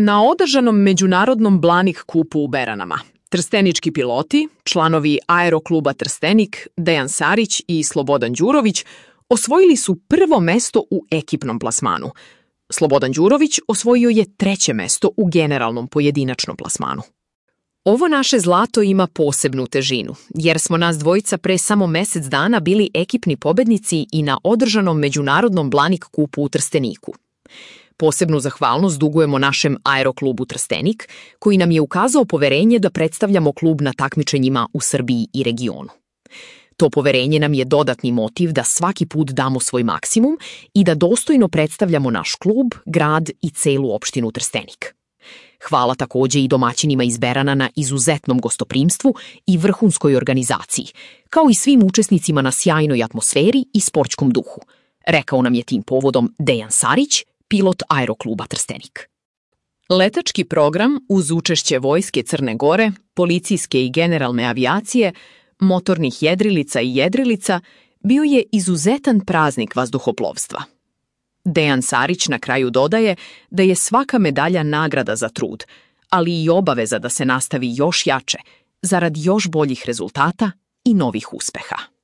Na održanom međunarodnom Blanik kupu u Beranama, trstenički piloti, članovi Aerokluba Trstenik, Dejan Sarić i Slobodan Đurović, osvojili su prvo mesto u ekipnom plasmanu. Slobodan Đurović osvojio je 3. mesto u generalnom pojedinačnom plasmanu. Ovo naše zlato ima posebnu težinu, jer smo nas dvojica pre samo mesec dana bili ekipni pobednici i na održanom međunarodnom Blanik kupu u Trsteniku. Posebnu zahvalnost dugujemo našem Aeroklubu Trstenik, koji nam je ukazao poverenje da predstavljamo klub na takmičenjima u Srbiji i regionu. To poverenje nam je dodatni motiv da svaki put damo svoj maksimum i da dostojno predstavljamo naš klub, grad i celu opštinu Trstenik. Hvala takođe i domaćinima iz Berana na izuzetnom gostoprimstvu i vrhunskoj organizaciji, kao i svim učesnicima na sjajnoj atmosferi i sportskom duhu, rekao nam je tim povodom Dejan Sarić, pilot Aerokluba Trstenik. Letački program uz učešće Vojske Crne Gore, policijske i generalne avijacije, motornih jedrilica i jedrilica bio je izuzetan praznik vazduhoplovstva. Dejan Sarić na kraju dodaje da je svaka medalja nagrada za trud, ali i obaveza da se nastavi još jače, zarad još boljih rezultata i novih uspeha.